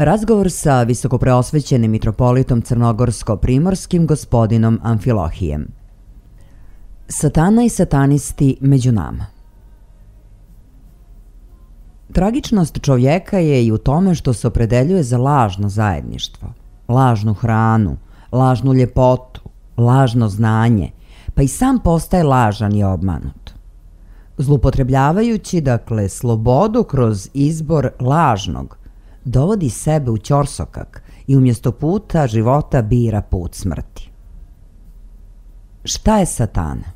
Razgovor sa visokopreosvećenim mitropolitom crnogorsko-primorskim gospodinom Amfilohijem. Satana i satanisti među nama. Tragičnost čovjeka je i u tome što se opredeljuje za lažno zajedništvo, lažnu hranu, lažnu ljepotu, lažno znanje, pa i sam postaje lažan i obmanut. Zlupotrebljavajući, dakle, slobodu kroz izbor lažnog, dovodi sebe u ćorsokak i umjesto puta života bira put smrti. Šta je satana?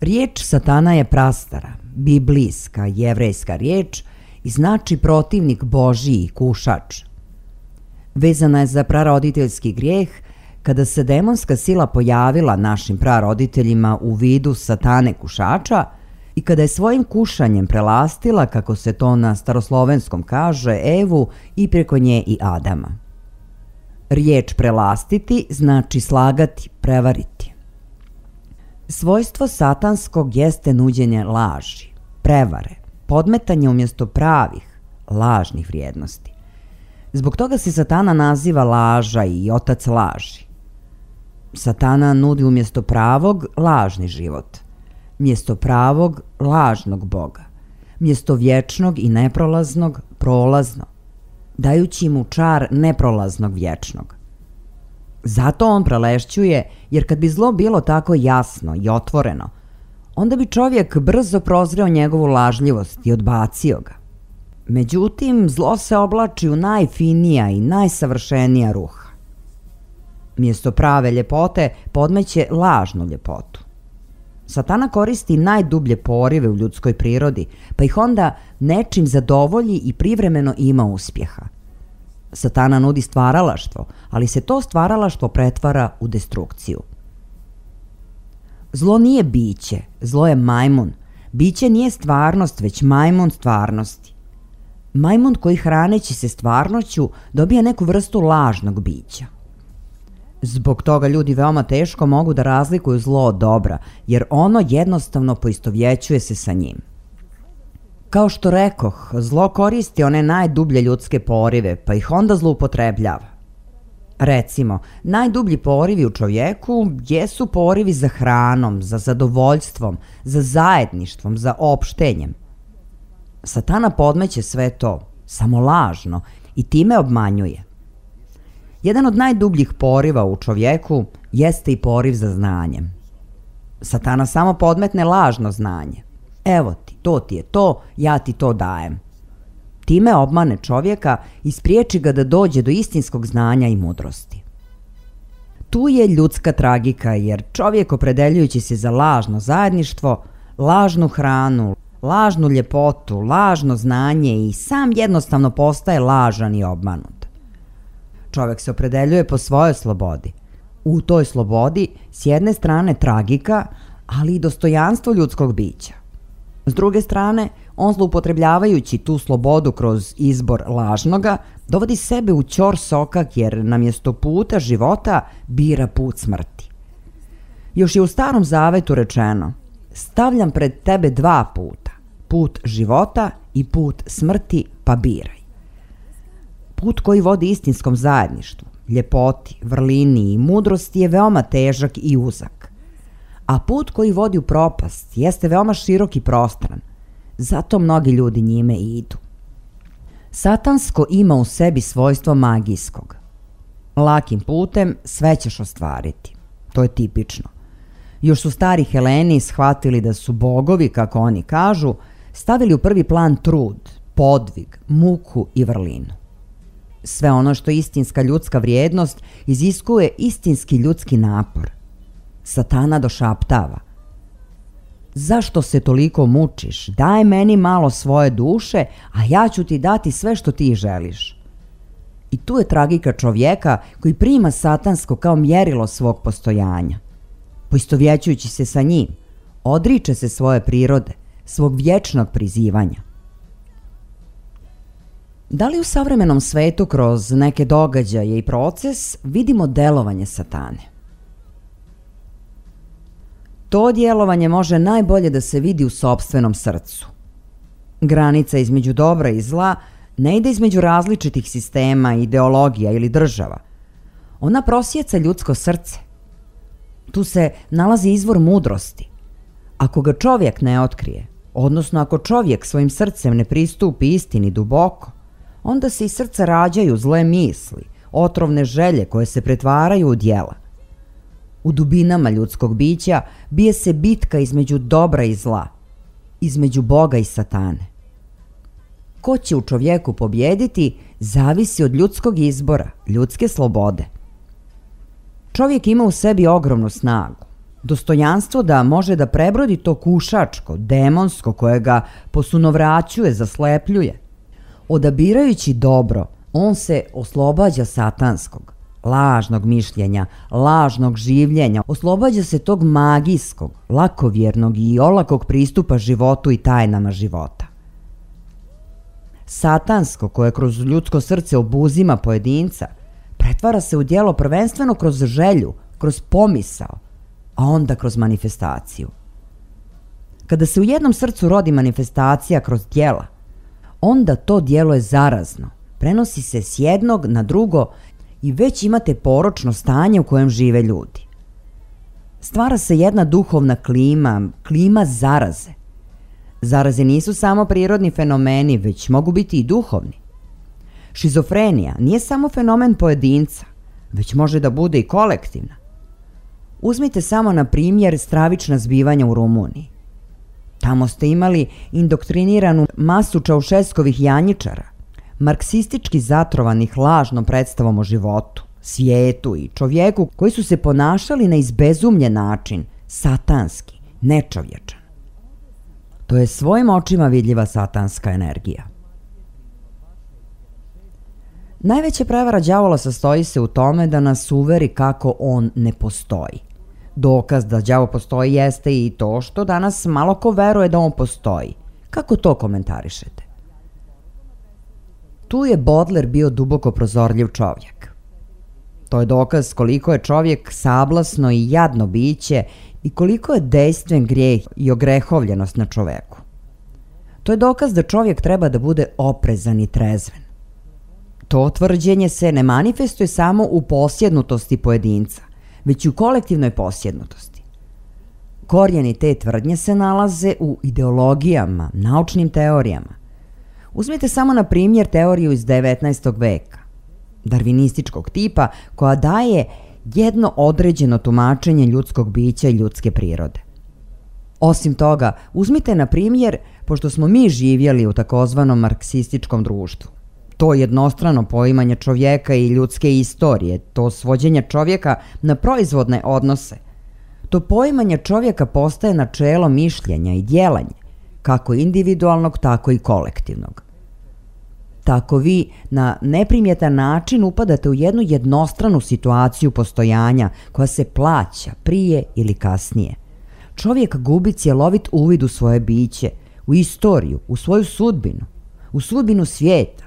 Riječ satana je prastara, biblijska, jevrejska riječ i znači protivnik Božji i kušač. Vezana je za praroditeljski grijeh kada se demonska sila pojavila našim praroditeljima u vidu satane kušača i kada je svojim kušanjem prelastila, kako se to na staroslovenskom kaže, Evu i preko nje i Adama. Riječ prelastiti znači slagati, prevariti. Svojstvo satanskog jeste nuđenje laži, prevare, podmetanje umjesto pravih, lažnih vrijednosti. Zbog toga se satana naziva laža i otac laži. Satana nudi umjesto pravog lažni život, mjesto pravog lažnog Boga, mjesto vječnog i neprolaznog prolazno, dajući mu čar neprolaznog vječnog. Zato on prelešćuje, jer kad bi zlo bilo tako jasno i otvoreno, onda bi čovjek brzo prozreo njegovu lažljivost i odbacio ga. Međutim, zlo se oblači u najfinija i najsavršenija ruha. Mjesto prave ljepote podmeće lažnu ljepotu. Satana koristi najdublje porive u ljudskoj prirodi, pa ih onda nečim zadovolji i privremeno ima uspjeha. Satana nudi stvaralaštvo, ali se to stvaralaštvo pretvara u destrukciju. Zlo nije biće, zlo je majmun. Biće nije stvarnost, već majmun stvarnosti. Majmun koji hraneći se stvarnošću dobija neku vrstu lažnog bića. Zbog toga ljudi veoma teško mogu da razlikuju zlo od dobra, jer ono jednostavno poistovjećuje se sa njim. Kao što rekoh, zlo koristi one najdublje ljudske porive, pa ih onda zloupotrebljava. Recimo, najdublji porivi u čovjeku jesu porivi za hranom, za zadovoljstvom, za zajedništvom, za opštenjem. Satana podmeće sve to, samo lažno, i time obmanjuje. Jedan od najdubljih poriva u čovjeku jeste i poriv za znanjem. Satana samo podmetne lažno znanje. Evo ti je to, ja ti to dajem. Time obmane čovjeka i spriječi ga da dođe do istinskog znanja i mudrosti. Tu je ljudska tragika, jer čovjek opredeljujući se za lažno zajedništvo, lažnu hranu, lažnu ljepotu, lažno znanje i sam jednostavno postaje lažan i obmanut. Čovjek se opredeljuje po svojoj slobodi. U toj slobodi s jedne strane tragika, ali i dostojanstvo ljudskog bića. S druge strane, on zloupotrebljavajući tu slobodu kroz izbor lažnoga, dovodi sebe u ćor sokak jer namjesto puta života bira put smrti. Još je u Starom Zavetu rečeno: stavljam pred tebe dva puta, put života i put smrti, pa biraj. Put koji vodi istinskom zajedništvu, ljepoti, vrlini i mudrosti je veoma težak i uzak. A put koji vodi u propast jeste veoma širok i prostran. Zato mnogi ljudi njime idu. Satansko ima u sebi svojstvo magijskog. Lakim putem sve ćeš ostvariti. To je tipično. Još su stari Heleni shvatili da su bogovi, kako oni kažu, stavili u prvi plan trud, podvig, muku i vrlinu. Sve ono što je istinska ljudska vrijednost iziskuje istinski ljudski napor. Satana došaptava: zašto se toliko mučiš? Daj meni malo svoje duše, a ja ću ti dati sve što ti želiš. I tu je tragika čovjeka koji prima satansko kao mjerilo svog postojanja. Poistovjećujući se sa njim, odriče se svoje prirode, svog vječnog prizivanja. Da li u savremenom svetu kroz neke događaje i proces vidimo delovanje satane? To djelovanje može najbolje da se vidi u sopstvenom srcu. Granica između dobra i zla ne ide između različitih sistema, ideologija ili država. Ona prosjeca ljudsko srce. Tu se nalazi izvor mudrosti. Ako ga čovjek ne otkrije, odnosno ako čovjek svojim srcem ne pristupi istini duboko, onda se iz srca rađaju zle misli, otrovne želje koje se pretvaraju u djela. U dubinama ljudskog bića bije se bitka između dobra i zla, između Boga i satane. Ko će u čovjeku pobjediti zavisi od ljudskog izbora, ljudske slobode. Čovjek ima u sebi ogromnu snagu, dostojanstvo da može da prebrodi to kušačko, demonsko koje ga posunovraćuje, zaslepljuje. Odabirajući dobro, on se oslobađa satanskog, lažnog mišljenja, lažnog življenja, oslobađa se tog magijskog, lakovjernog i olakog pristupa životu i tajnama života. Satansko, koje kroz ljudsko srce obuzima pojedinca, pretvara se u djelo prvenstveno kroz želju, kroz pomisao, a onda kroz manifestaciju. Kada se u jednom srcu rodi manifestacija kroz djela, onda to djelo je zarazno, prenosi se s jednog na drugo i već imate poročno stanje u kojem žive ljudi. Stvara se jedna duhovna klima, klima zaraze. Zaraze nisu samo prirodni fenomeni, već mogu biti i duhovni. Šizofrenija nije samo fenomen pojedinca, već može da bude i kolektivna. Uzmite samo na primjer stravična zbivanja u Rumuniji. Tamo ste imali indoktriniranu masu Čaušeskovih janjičara, marksistički zatrovanih lažnom predstavom o životu, svijetu i čovjeku koji su se ponašali na izbezumljen način, satanski, nečovječan. To je svojim očima vidljiva satanska energija. Najveća prevara đavola sastoji se u tome da nas uveri kako on ne postoji. Dokaz da đavo postoji jeste i to što danas malo ko veruje da on postoji. Kako to komentarišete? Tu je Bodler bio duboko prozorljiv čovjek. To je dokaz koliko je čovjek sablasno i jadno biće i koliko je dejstven grijeh i ogrehovljenost na čoveku. To je dokaz da čovjek treba da bude oprezan i trezven. To tvrđenje se ne manifestuje samo u posjednutosti pojedinca, već i u kolektivnoj posjednutosti. Korijeni te tvrdnje se nalaze u ideologijama, naučnim teorijama. Uzmite samo na primjer teoriju iz 19. veka, darvinističkog tipa, koja daje jedno određeno tumačenje ljudskog bića i ljudske prirode. Osim toga, uzmite na primjer, pošto smo mi živjeli u takozvanom marksističkom društvu, to jednostrano poimanje čovjeka i ljudske istorije, to svođenje čovjeka na proizvodne odnose, to poimanje čovjeka postaje načelo mišljenja i djelanja, kako individualnog, tako i kolektivnog. Tako vi na neprimjetan način upadate u jednu jednostranu situaciju postojanja koja se plaća prije ili kasnije. Čovjek gubi cjelovit uvid u svoje biće, u istoriju, u svoju sudbinu, u sudbinu svijeta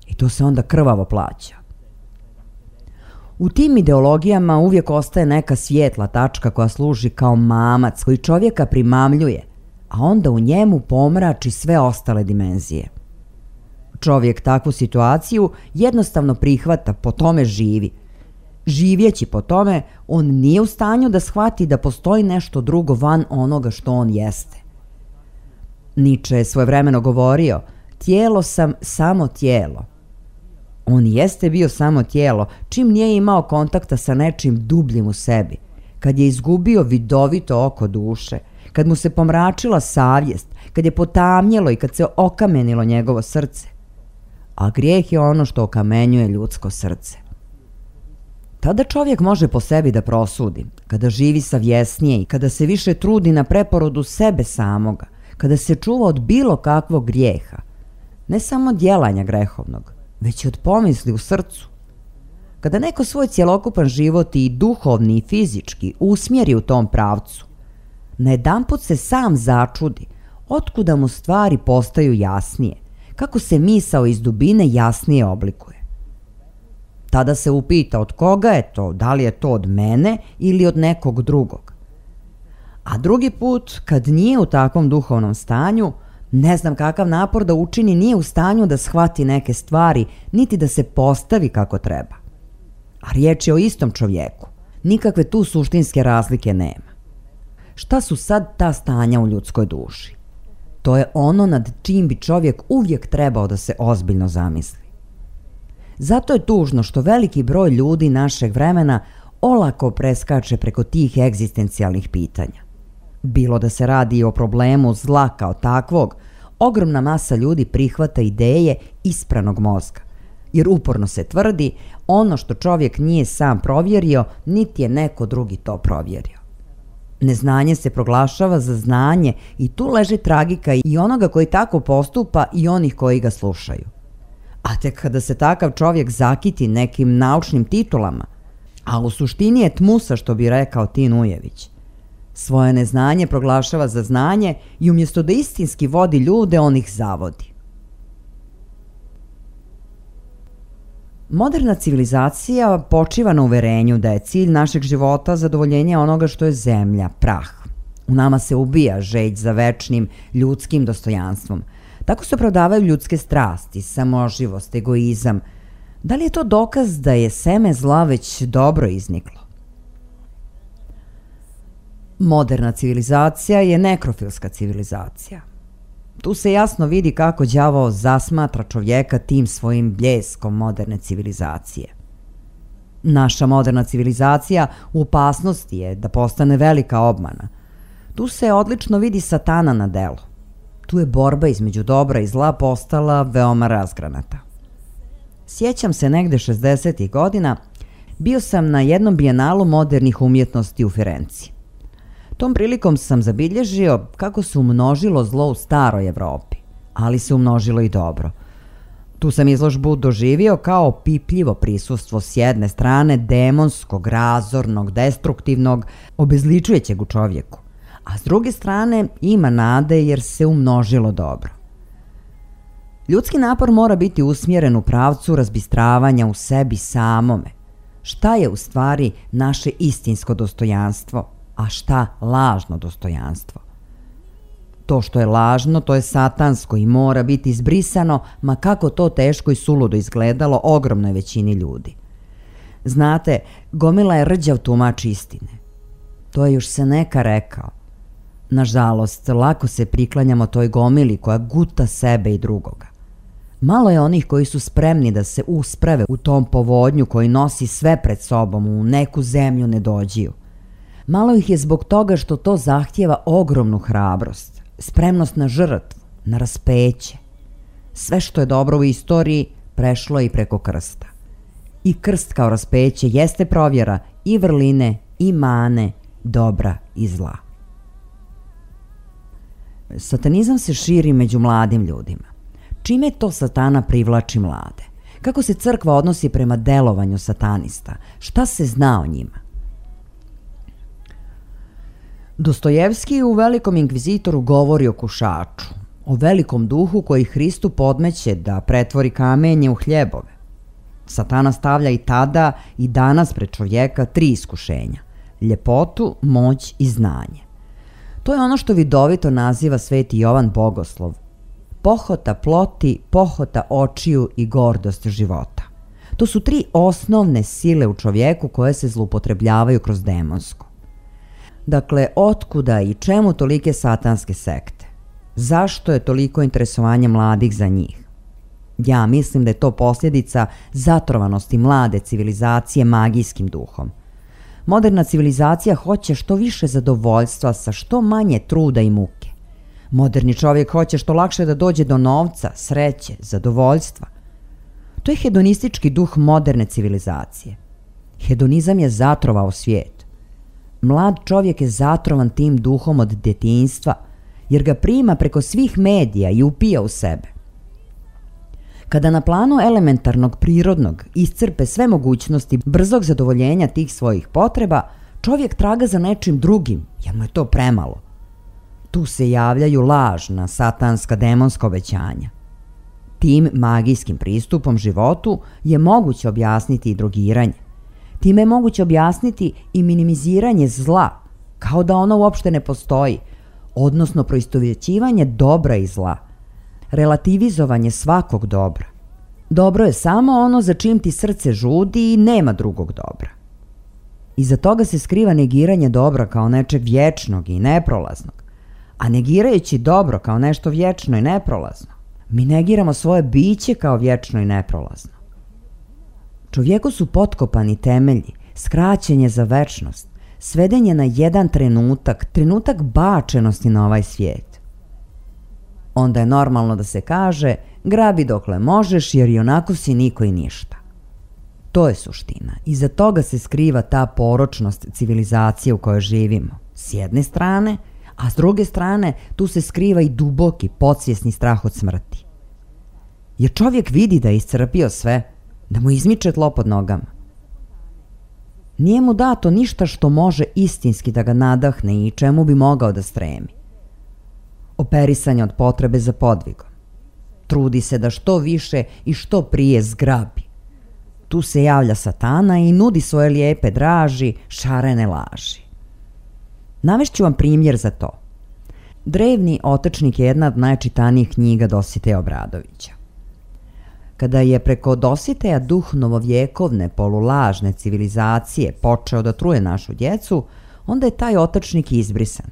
i to se onda krvavo plaća. U tim ideologijama uvijek ostaje neka svijetla tačka koja služi kao mamac koji čovjeka primamljuje, a onda u njemu pomrači sve ostale dimenzije. Čovjek takvu situaciju jednostavno prihvata, po tome živi. Živjeći po tome, on nije u stanju da shvati da postoji nešto drugo van onoga što on jeste. Nietzsche je svojevremeno govorio, tijelo sam samo tijelo. On jeste bio samo tijelo, čim nije imao kontakta sa nečim dubljim u sebi, kad je izgubio vidovito oko duše, kad mu se pomračila savjest, kad je potamnjelo i kad se okamenilo njegovo srce. A grijeh je ono što okamenjuje ljudsko srce. Tada čovjek može po sebi da prosudi, kada živi savjesnije i kada se više trudi na preporodu sebe samoga, kada se čuva od bilo kakvog grijeha, ne samo djelanja grehovnog, već i od pomisli u srcu. Kada neko svoj cjelokupan život i duhovni i fizički usmjeri u tom pravcu, najedanput se sam začudi otkuda mu stvari postaju jasnije, kako se misao iz dubine jasnije oblikuje. Tada se upita od koga je to, da li je to od mene ili od nekog drugog. A drugi put, kad nije u takvom duhovnom stanju, ne znam kakav napor da učini, nije u stanju da shvati neke stvari, niti da se postavi kako treba. A riječ je o istom čovjeku. Nikakve tu suštinske razlike nema. Šta su sad ta stanja u ljudskoj duši? To je ono nad čim bi čovjek uvijek trebao da se ozbiljno zamisli. Zato je tužno što veliki broj ljudi našeg vremena olako preskače preko tih egzistencijalnih pitanja. Bilo da se radi o problemu zla kao takvog, ogromna masa ljudi prihvata ideje ispranog mozga, jer uporno se tvrdi ono što čovjek nije sam provjerio, niti je neko drugi to provjerio. Neznanje se proglašava za znanje i tu leži tragika i onoga koji tako postupa i onih koji ga slušaju. A tek kada se takav čovjek zakiti nekim naučnim titulama, a u suštini je tmusa, što bi rekao Tin Ujević, svoje neznanje proglašava za znanje i umjesto da istinski vodi ljude, on ih zavodi. Moderna civilizacija počiva na uverenju da je cilj našeg života zadovoljenje onoga što je zemlja, prah. U nama se ubija žeđ za večnim ljudskim dostojanstvom. Tako se opravdavaju ljudske strasti, samoživost, egoizam. Da li je to dokaz da je seme zla već dobro izniklo? Moderna civilizacija je nekrofilska civilizacija. Tu se jasno vidi kako đavo zasmatra čovjeka tim svojim bljeskom moderne civilizacije. Naša moderna civilizacija u opasnosti je da postane velika obmana. Tu se odlično vidi Satana na delu. Tu je borba između dobra i zla postala veoma razgranata. Sjećam se negde 60. godina, bio sam na jednom bijenalu modernih umjetnosti u Firenci. Tom prilikom sam zabilježio kako se umnožilo zlo u staroj Evropi, ali se umnožilo i dobro. Tu sam izložbu doživio kao pipljivo prisustvo s jedne strane demonskog, razornog, destruktivnog, obezličujećeg u čovjeku, a s druge strane ima nade jer se umnožilo dobro. Ljudski napor mora biti usmjeren u pravcu razbistravanja u sebi samome. Šta je u stvari naše istinsko dostojanstvo, a šta lažno dostojanstvo? To što je lažno, to je satansko i mora biti izbrisano, ma kako to teško i suludo izgledalo ogromnoj većini ljudi. Znate, gomila je rđav tumač istine. To je još Seneka rekao. Nažalost, lako se priklanjamo toj gomili koja guta sebe i drugoga. Malo je onih koji su spremni da se usprave u tom povodnju koji nosi sve pred sobom u neku zemlju nedođiju. Malo ih je zbog toga što to zahtijeva ogromnu hrabrost, spremnost na žrtvu, na raspeće. Sve što je dobro u istoriji prešlo je i preko krsta. I krst kao raspeće jeste provjera i vrline i mane, dobra i zla. Satanizam se širi među mladim ljudima. Čime to Satana privlači mlade? Kako se crkva odnosi prema delovanju satanista? Šta se zna o njima? Dostojevski u Velikom inkvizitoru govori o kušaču, o velikom duhu koji Hristu podmeće da pretvori kamenje u hljebove. Satana stavlja i tada i danas pred čovjeka 3 iskušenja: ljepotu, moć i znanje. To je ono što vidovito naziva Sveti Jovan Bogoslov: pohota ploti, pohota očiju i gordost života. To su 3 osnovne sile u čovjeku koje se zloupotrebljavaju kroz demonsku. Dakle, otkuda i čemu tolike satanske sekte? Zašto je toliko interesovanje mladih za njih? Ja mislim da je to posljedica zatrovanosti mlade civilizacije magijskim duhom. Moderna civilizacija hoće što više zadovoljstva sa što manje truda i muke. Moderni čovjek hoće što lakše da dođe do novca, sreće, zadovoljstva. To je hedonistički duh moderne civilizacije. Hedonizam je zatrovao svijet. Mlad čovjek je zatrovan tim duhom od djetinjstva, jer ga prima preko svih medija i upija u sebe. Kada na planu elementarnog, prirodnog iscrpe sve mogućnosti brzog zadovoljenja tih svojih potreba, čovjek traga za nečim drugim, jer mu je to premalo. Tu se javljaju lažna, satanska, demonska obećanja. Tim magijskim pristupom životu je moguće objasniti i drogiranje. Time je moguće objasniti i minimiziranje zla, kao da ono uopšte ne postoji, odnosno proistovjećivanje dobra i zla, relativizovanje svakog dobra. Dobro je samo ono za čim ti srce žudi i nema drugog dobra. Iza toga se skriva negiranje dobra kao nečeg vječnog i neprolaznog, a negirajući dobro kao nešto vječno i neprolazno, mi negiramo svoje biće kao vječno i neprolazno. Čovjeku su potkopani temelji, skraćenje za večnost, svedenje na jedan trenutak bačenosti na ovaj svijet. Onda je normalno da se kaže: grabi dokle možeš jer i onako si niko i ništa. To je suština. Iza toga se skriva ta poročnost civilizacije u kojoj živimo, s jedne strane, a s druge strane tu se skriva i duboki, podsvjesni strah od smrti. Jer čovjek vidi da je iscrpio sve, da mu izmiče tlo pod nogama. Nije mu dato ništa što može istinski da ga nadahne i čemu bi mogao da stremi. Operisanje od potrebe za podvigom. Trudi se da što više i što prije zgrabi. Tu se javlja Satana i nudi svoje lijepe draži, šarene laži. Navešću vam primjer za to. Drevni otočnik je jedna od najčitanijih knjiga Dositeja Obradovića. Kada je preko Dositeja duh novovjekovne polulažne civilizacije počeo da truje našu djecu, onda je taj otočnik izbrisan.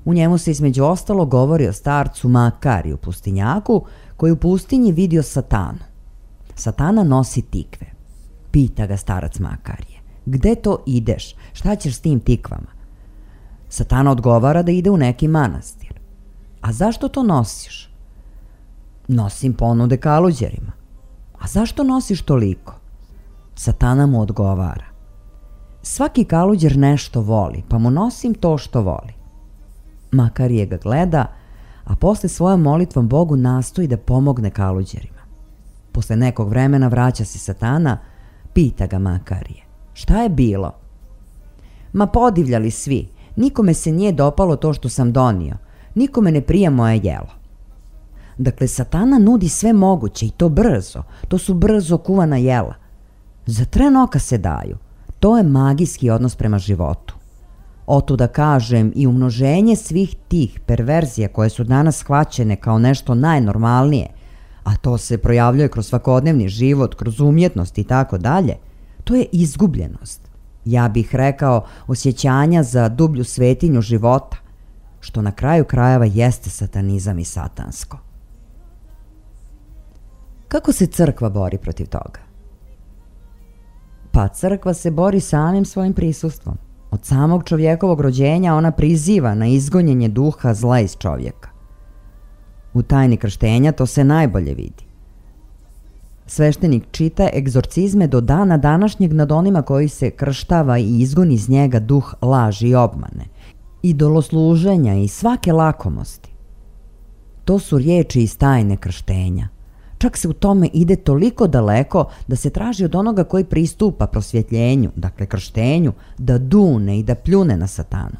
U njemu se između ostalo govori o starcu Makariju pustinjaku koji u pustinji vidio Satanu. Satana nosi tikve. Pita ga starac Makarije: gde to ideš? Šta ćeš s tim tikvama? Satana odgovara da ide u neki manastir. A zašto to nosiš? Nosim ponude kaluđerima. A zašto nosiš toliko? Satana mu odgovara. Svaki kaluđer nešto voli, pa mu nosim to što voli. Makarije ga gleda, a posle svojom molitvom Bogu nastoji da pomogne kaluđerima. Posle nekog vremena vraća se Satana, pita ga Makarije. Šta je bilo? Ma podivljali svi, nikome se nije dopalo to što sam donio, nikome ne prija moje jelo. Dakle, Satana nudi sve moguće i to brzo, to su brzo kuvana jela. Za tren oka se daju, to je magijski odnos prema životu. Otuda kažem i umnoženje svih tih perverzija koje su danas shvaćene kao nešto najnormalnije, a to se projavljuje kroz svakodnevni život, kroz umjetnost i tako dalje, to je izgubljenost. Ja bih rekao osjećanja za dublju svetinju života, što na kraju krajeva jeste satanizam i satansko. Kako se crkva bori protiv toga? Pa crkva se bori samim svojim prisustvom. Od samog čovjekovog rođenja ona priziva na izgonjenje duha zla iz čovjeka. U tajni krštenja to se najbolje vidi. Sveštenik čita egzorcizme do dana današnjeg nad onima koji se krštava i izgoni iz njega duh laži i obmane, idolosluženja i svake lakomosti. To su riječi iz tajne krštenja. Čak se u tome ide toliko daleko da se traži od onoga koji pristupa prosvjetljenju, dakle krštenju, da dune i da pljune na Satanu.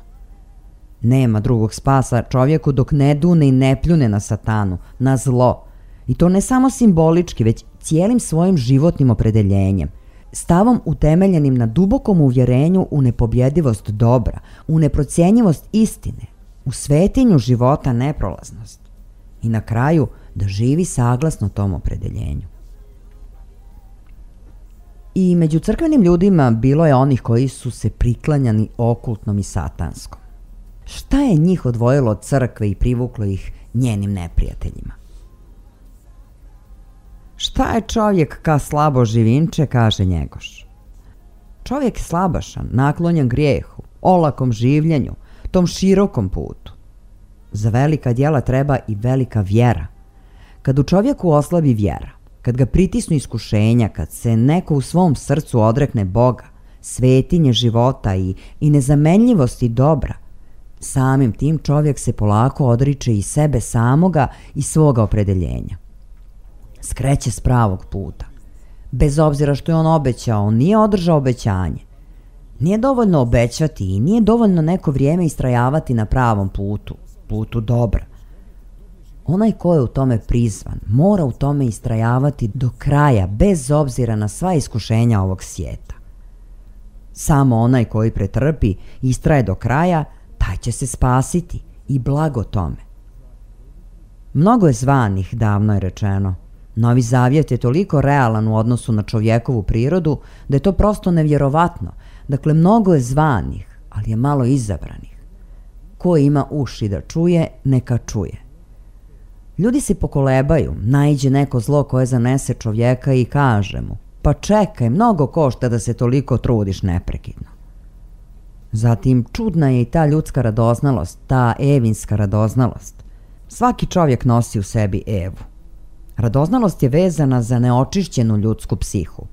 Nema drugog spasa čovjeku dok ne dune i ne pljune na Satanu, na zlo. I to ne samo simbolički, već cijelim svojim životnim opredeljenjem, stavom utemeljenim na dubokom uvjerenju u nepobjedivost dobra, u neprocjenjivost istine, u svetinju života neprolaznost. I na kraju da živi saglasno tom opredeljenju. I među crkvenim ljudima bilo je onih koji su se priklanjani okultnom i satanskom. Šta je njih odvojilo od crkve i privuklo ih njenim neprijateljima? Šta je čovjek ka slabo živinče, kaže Njegoš. Čovjek je slabašan, naklonjen grijehu, olakom življenju, tom širokom putu. Za velika djela treba i velika vjera. Kad u čovjeku oslabi vjera, kad ga pritisnu iskušenja, kad se neko u svom srcu odrekne Boga, svetinje života i nezamenljivosti dobra, samim tim čovjek se polako odriče i sebe samoga i svoga opredeljenja. Skreće s pravog puta. Bez obzira što je on obećao, on nije održao obećanje. Nije dovoljno obećati i nije dovoljno neko vrijeme istrajavati na pravom putu, putu dobra. Onaj ko je u tome prizvan, mora u tome istrajavati do kraja, bez obzira na sva iskušenja ovog svijeta. Samo onaj koji pretrpi i istraje do kraja, taj će se spasiti i blago tome. Mnogo je zvanih, davno je rečeno. Novi Zavjet je toliko realan u odnosu na čovjekovu prirodu da je to prosto nevjerovatno. Dakle, mnogo je zvanih, ali je malo izabranih. Ko ima uši da čuje, neka čuje. Ljudi se pokolebaju, naiđe neko zlo koje zanese čovjeka i kaže mu: pa čekaj, mnogo košta da se toliko trudiš neprekidno. Zatim, čudna je i ta ljudska radoznalost, ta evinska radoznalost. Svaki čovjek nosi u sebi Evu. Radoznalost je vezana za neočišćenu ljudsku psihu.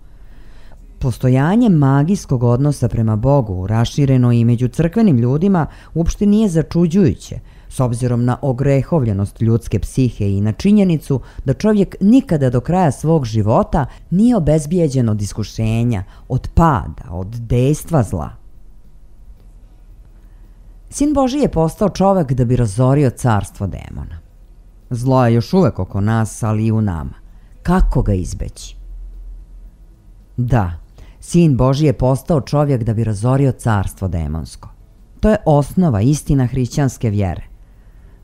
Postojanje magijskog odnosa prema Bogu, rašireno i među crkvenim ljudima, uopšte nije začuđujuće, s obzirom na ogrehovljenost ljudske psihe i na činjenicu da čovjek nikada do kraja svog života nije obezbijeđen od iskušenja, od pada, od dejstva zla. Sin Božji je postao čovjek da bi razorio carstvo demona. Zlo je još uvek oko nas, ali i u nama. Kako ga izbeći? Da, Sin Božji je postao čovjek da bi razorio carstvo demonsko. To je osnova, istina hrišćanske vjere.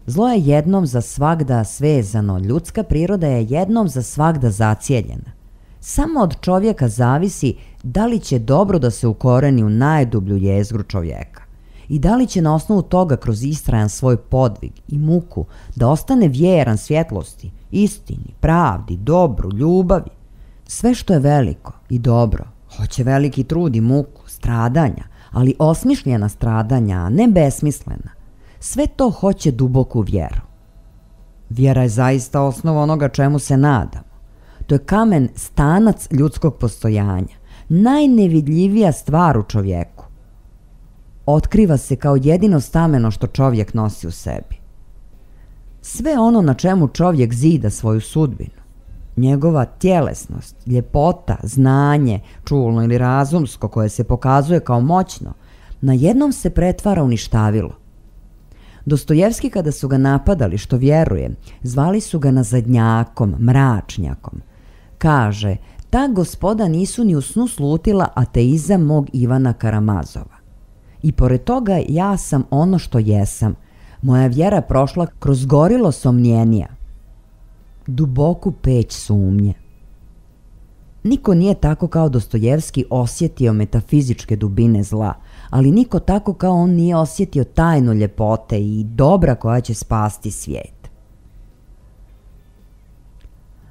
Zlo je jednom za svagda svezano, ljudska priroda je jednom za svagda zacijeljena. Samo od čovjeka zavisi da li će dobro da se ukoreni u najdublju jezgru čovjeka i da li će na osnovu toga kroz istrajan svoj podvig i muku da ostane vjeran svjetlosti, istini, pravdi, dobru, ljubavi. Sve što je veliko i dobro hoće veliki trud i muku, stradanja, ali osmišljena stradanja, a ne besmislena. Sve to hoće duboku vjeru. Vjera je zaista osnova onoga čemu se nadamo. To je kamen stanac ljudskog postojanja, najnevidljivija stvar u čovjeku. Otkriva se kao jedino stameno što čovjek nosi u sebi. Sve ono na čemu čovjek zida svoju sudbinu, njegova tjelesnost, ljepota, znanje, čulno ili razumsko koje se pokazuje kao moćno, najednom se pretvara u ništavilo. Dostojevski kada su ga napadali što vjeruje, zvali su ga nazadnjakom, mračnjakom. Kaže, ta gospoda nisu ni u snu slutila ateizam mog Ivana Karamazova. I pored toga ja sam ono što jesam. Moja vjera prošla kroz gorilo somnjenija, duboku peć sumnje. Niko nije tako kao Dostojevski osjetio metafizičke dubine zla, ali niko tako kao on nije osjetio tajnu ljepote i dobra koja će spasti svijet.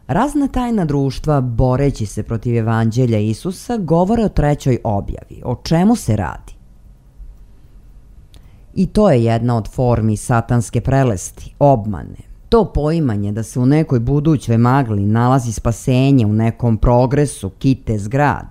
Razna tajna društva, boreći se protiv evanđelja Isusa, govore o trećoj objavi. O čemu se radi? I to je jedna od formi satanske prelesti, obmane. To poimanje da se u nekoj budućoj magli nalazi spasenje, u nekom progresu, kite zgrad.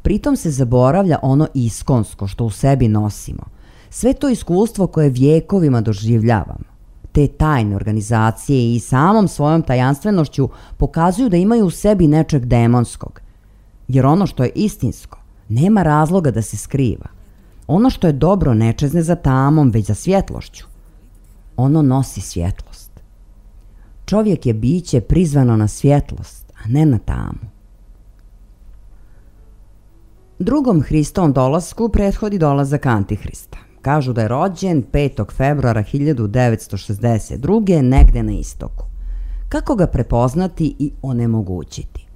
Pritom se zaboravlja ono iskonsko što u sebi nosimo. Sve to iskustvo koje vjekovima doživljavamo. Te tajne organizacije i samom svojom tajanstvenošću pokazuju da imaju u sebi nečeg demonskog. Jer ono što je istinsko nema razloga da se skriva. Ono što je dobro ne čezne za tamom, već za svjetlošću. Ono nosi svjetlost. Čovjek je biće prizvano na svjetlost, a ne na tamu. Drugom Hristovom dolasku prethodi dolazak Antihrista. Kažu da je rođen 5. februara 1962. negde na istoku. Kako ga prepoznati i onemogućiti?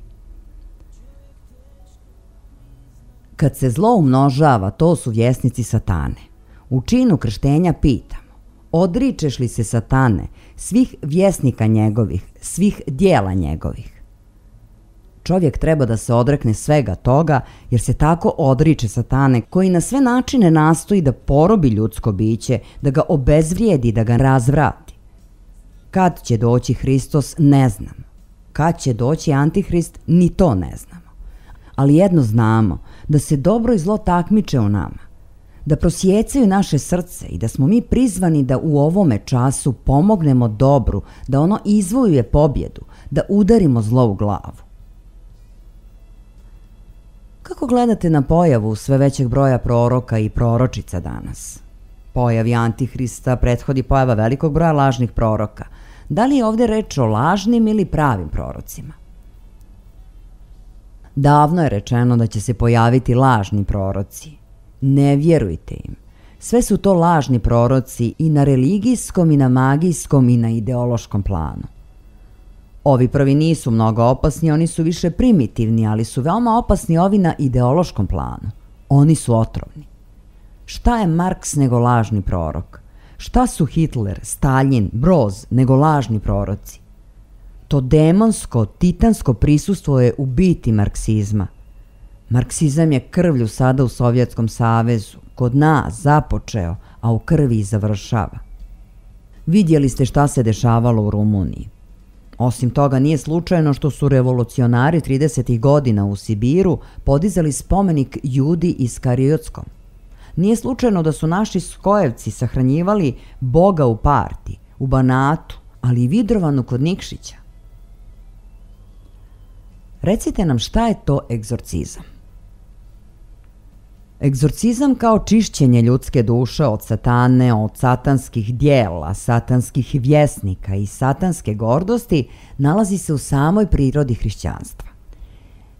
Kad se zlo umnožava, to su vjesnici satane. U činu krštenja pitamo, odričeš li se satane, svih vjesnika njegovih, svih dijela njegovih? Čovjek treba da se odrekne svega toga, jer se tako odriče satane koji na sve načine nastoji da porobi ljudsko biće, da ga obezvrijedi, da ga razvrati. Kad će doći Hristos, ne znam. Kad će doći Antihrist, ni to ne znamo. Ali jedno znamo, da se dobro i zlo takmiče u nama, da prosjecaju naše srce i da smo mi prizvani da u ovome času pomognemo dobru, da ono izvojuje pobjedu, da udarimo zlo u glavu. Kako gledate na pojavu sve većeg broja proroka i proročica danas? Pojavi Antihrista prethodi pojava velikog broja lažnih proroka. Da li je ovdje reč o lažnim ili pravim prorocima? Davno je rečeno da će se pojaviti lažni proroci. Ne vjerujte im. Sve su to lažni proroci i na religijskom i na magijskom i na ideološkom planu. Ovi prvi nisu mnogo opasni, oni su više primitivni, ali su veoma opasni ovi na ideološkom planu. Oni su otrovni. Šta je Marks nego lažni prorok? Šta su Hitler, Stalin, Broz nego lažni proroci? To demonsko, titansko prisustvo je u biti marksizma. Marksizam je krvlju sada u Sovjetskom savezu, kod nas započeo, a u krvi i završava. Vidjeli ste šta se dešavalo u Rumuniji. Osim toga, nije slučajno što su revolucionari 30. godina u Sibiru podizali spomenik Judi Iskariotskom. Nije slučajno da su naši skojevci sahranjivali Boga u Parti, u Banatu, ali i Vidrovanu kod Nikšića. Recite nam šta je to egzorcizam? Egzorcizam kao čišćenje ljudske duše od satane, od satanskih dijela, satanskih vjesnika i satanske gordosti nalazi se u samoj prirodi hrišćanstva.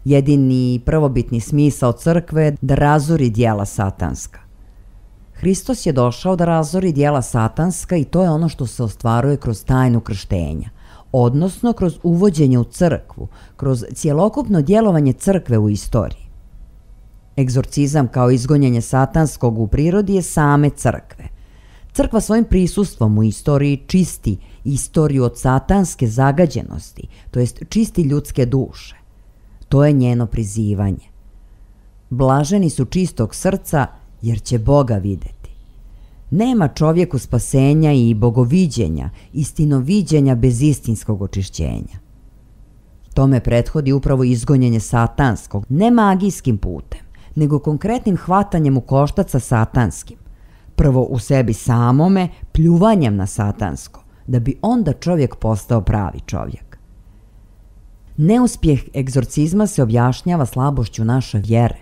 Jedini prvobitni smisao crkve je da razori dijela satanska. Hristos je došao da razori dijela satanska i to je ono što se ostvaruje kroz tajnu krštenja, odnosno kroz uvođenje u crkvu, kroz cjelokupno djelovanje crkve u istoriji. Egzorcizam kao izgonjenje satanskog u prirodi je same crkve. Crkva svojim prisustvom u istoriji čisti istoriju od satanske zagađenosti, to jest čisti ljudske duše. To je njeno prizivanje. Blaženi su čistog srca, jer će Boga videti. Nema čovjeku spasenja i bogoviđenja, istinoviđenja bez istinskog očišćenja. Tome prethodi upravo izgonjenje satanskog, ne magijskim putem, nego konkretnim hvatanjem u koštac sa satanskim. Prvo u sebi samome, pljuvanjem na satansko, da bi onda čovjek postao pravi čovjek. Neuspjeh egzorcizma se objašnjava slabošću naše vjere.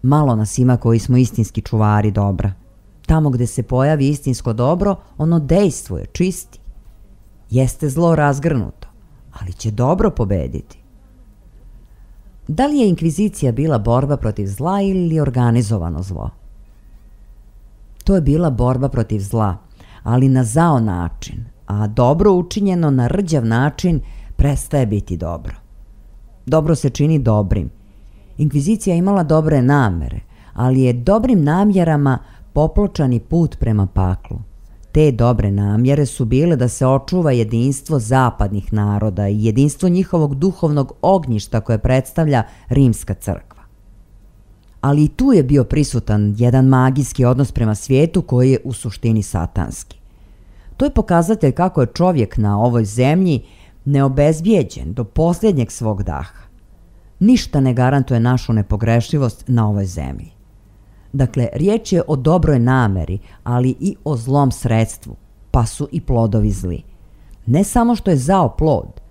Malo nas ima koji smo istinski čuvari dobra. Tamo gde se pojavi istinsko dobro, ono dejstvuje, čisti. Jeste zlo razgrnuto, ali će dobro pobediti. Da li je inkvizicija bila borba protiv zla ili organizovano zlo? To je bila borba protiv zla, ali na zao način, a dobro učinjeno na rđav način prestaje biti dobro. Dobro se čini dobrim. Inkvizicija imala dobre namere, ali je dobrim namjerama popločani put prema paklu. Te dobre namjere su bile da se očuva jedinstvo zapadnih naroda i jedinstvo njihovog duhovnog ognjišta koje predstavlja Rimska crkva. Ali i tu je bio prisutan jedan magijski odnos prema svijetu koji je u suštini satanski. To je pokazatelj kako je čovjek na ovoj zemlji neobezbijeđen do posljednjeg svog daha. Ništa ne garantuje našu nepogrešivost na ovoj zemlji. Dakle, riječ je o dobroj nameri, ali i o zlom sredstvu, pa su i plodovi zli. Ne samo što je zao plod,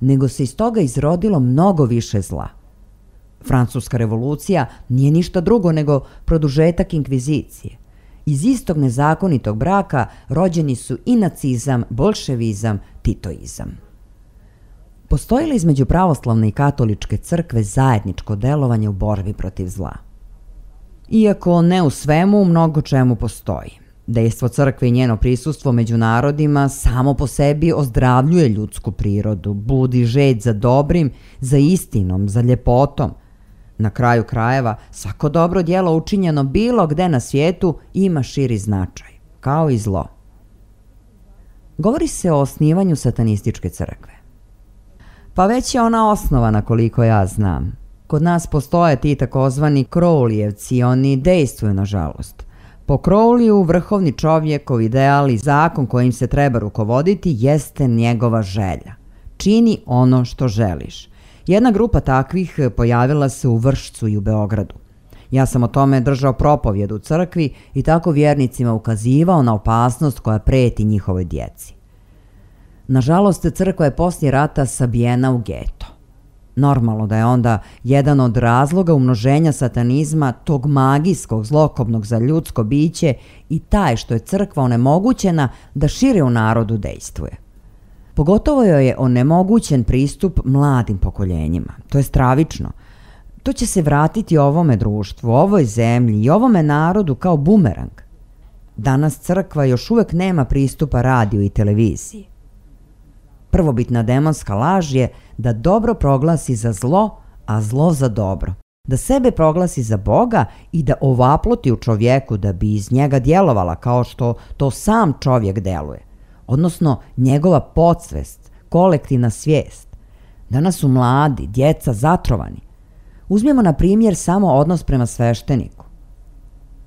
nego se iz toga izrodilo mnogo više zla. Francuska revolucija nije ništa drugo nego produžetak inkvizicije. Iz istog nezakonitog braka rođeni su i nacizam, bolševizam, titoizam. Postoji li između pravoslavne i katoličke crkve zajedničko delovanje u borbi protiv zla? Iako ne u svemu, u mnogo čemu postoji. Dejstvo crkve i njeno prisustvo među narodima samo po sebi ozdravljuje ljudsku prirodu, budi žeđ za dobrim, za istinom, za ljepotom. Na kraju krajeva, svako dobro djelo učinjeno bilo gde na svijetu ima širi značaj, kao i zlo. Govori se o osnivanju satanističke crkve. Pa već je ona osnovana koliko ja znam. Kod nas postoje ti takozvani Crowleyevci, oni dejstvuju nažalost. Po Crowleyu vrhovni čovjekov ideal i zakon kojim se treba rukovoditi jeste njegova želja. Čini ono što želiš. Jedna grupa takvih pojavila se u Vršcu i u Beogradu. Ja sam o tome držao propovjed u crkvi i tako vjernicima ukazivao na opasnost koja preti njihovoj djeci. Nažalost, crkva je poslije rata sabijena u geto. Normalno da je onda jedan od razloga umnoženja satanizma, tog magijskog, zlokobnog za ljudsko biće, i taj što je crkva onemogućena da šire u narodu dejstvuje. Pogotovo joj je onemogućen pristup mladim pokoljenjima. To je stravično. To će se vratiti ovome društvu, ovoj zemlji i ovome narodu kao bumerang. Danas crkva još uvijek nema pristupa radiju i televiziji. Prvobitna demonska laž je da dobro proglasi za zlo, a zlo za dobro. Da sebe proglasi za Boga i da ovaploti u čovjeku da bi iz njega djelovala kao što to sam čovjek deluje. Odnosno njegova podsvest, kolektivna svijest. Danas su mladi, djeca zatrovani. Uzmimo na primjer samo odnos prema svešteniku.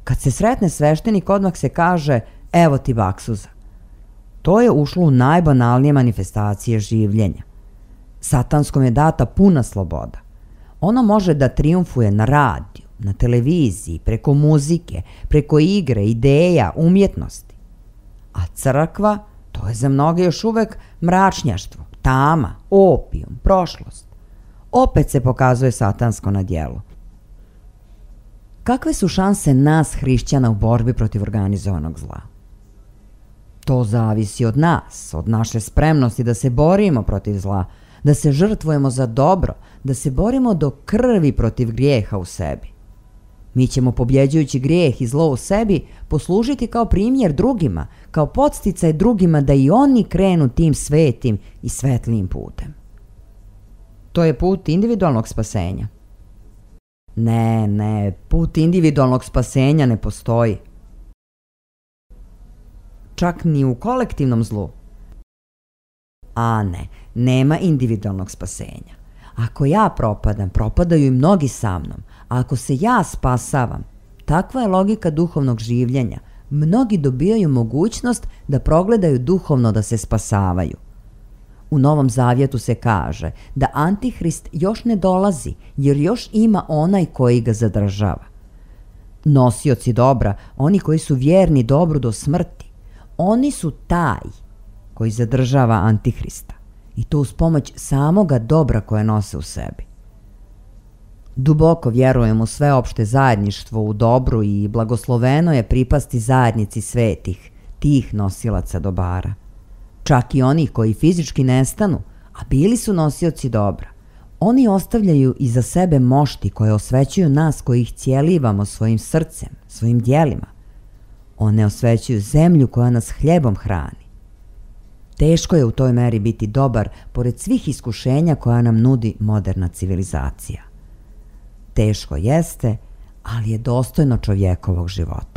Kad se sretne sveštenik, odmah se kaže evo ti baksuza. To je ušlo u najbanalnije manifestacije življenja. Satanskom je data puna sloboda. Ono može da trijumfuje na radiju, na televiziji, preko muzike, preko igre, ideja, umjetnosti. A crkva, to je za mnoge još uvek mračnjaštvo, tama, opijum, prošlost. Opet se pokazuje satansko na djelu. Kakve su šanse nas, hrišćana, u borbi protiv organizovanog zla? To zavisi od nas, od naše spremnosti da se borimo protiv zla, da se žrtvujemo za dobro, da se borimo do krvi protiv grijeha u sebi. Mi ćemo, pobjeđujući grijeh i zlo u sebi, poslužiti kao primjer drugima, kao podsticaj drugima da i oni krenu tim svetim i svetlijim putem. To je put individualnog spasenja. Ne, put individualnog spasenja ne postoji. Čak ni u kolektivnom zlu. A ne, nema individualnog spasenja. Ako ja propadam, propadaju i mnogi sa mnom. A ako se ja spasavam, takva je logika duhovnog življenja. Mnogi dobijaju mogućnost da progledaju duhovno da se spasavaju. U Novom Zavjetu se kaže da Antihrist još ne dolazi jer još ima onaj koji ga zadržava. Nosioci dobra, oni koji su vjerni dobru do smrti, oni su taj koji zadržava Antihrista i to uz pomoć samoga dobra koje nose u sebi. Duboko vjerujem u sveopšte zajedništvo u dobru i blagosloveno je pripasti zajednici svetih, tih nosilaca dobara. Čak i oni koji fizički nestanu, a bili su nosioci dobra, oni ostavljaju iza sebe mošti koje osvećuju nas koji ih cijelivamo svojim srcem, svojim djelima. One osvećuju zemlju koja nas hljebom hrani. Teško je u toj meri biti dobar pored svih iskušenja koja nam nudi moderna civilizacija. Teško jeste, ali je dostojno čovjekovog života.